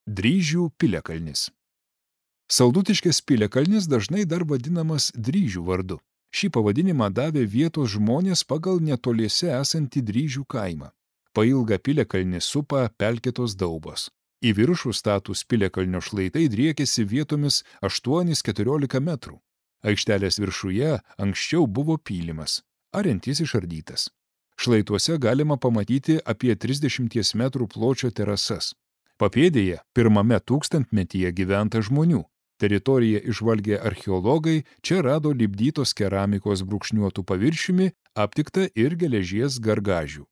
Dryžių piliakalnis. Saldutiškės piliakalnis dažnai dar vadinamas Dryžių vardu. Šį pavadinimą davė vietos žmonės pagal netoliese esantį Dryžių kaimą. Pailgą piliakalnį supa pelkėtos daubos. Į viršų status piliakalnio šlaitai driekėsi vietomis 8–14 metrų. Aikštelės viršuje anksčiau buvo pylimas, ariantis išardytas. Šlaituose galima pamatyti apie 30 metrų pločio terasas. Papėdėje pirmame tūkstantmetyje gyventa žmonių. Teritoriją išvalgę archeologai čia rado lipdytos keramikos brūkšniuotų paviršiumi, aptikta ir geležies gargažių.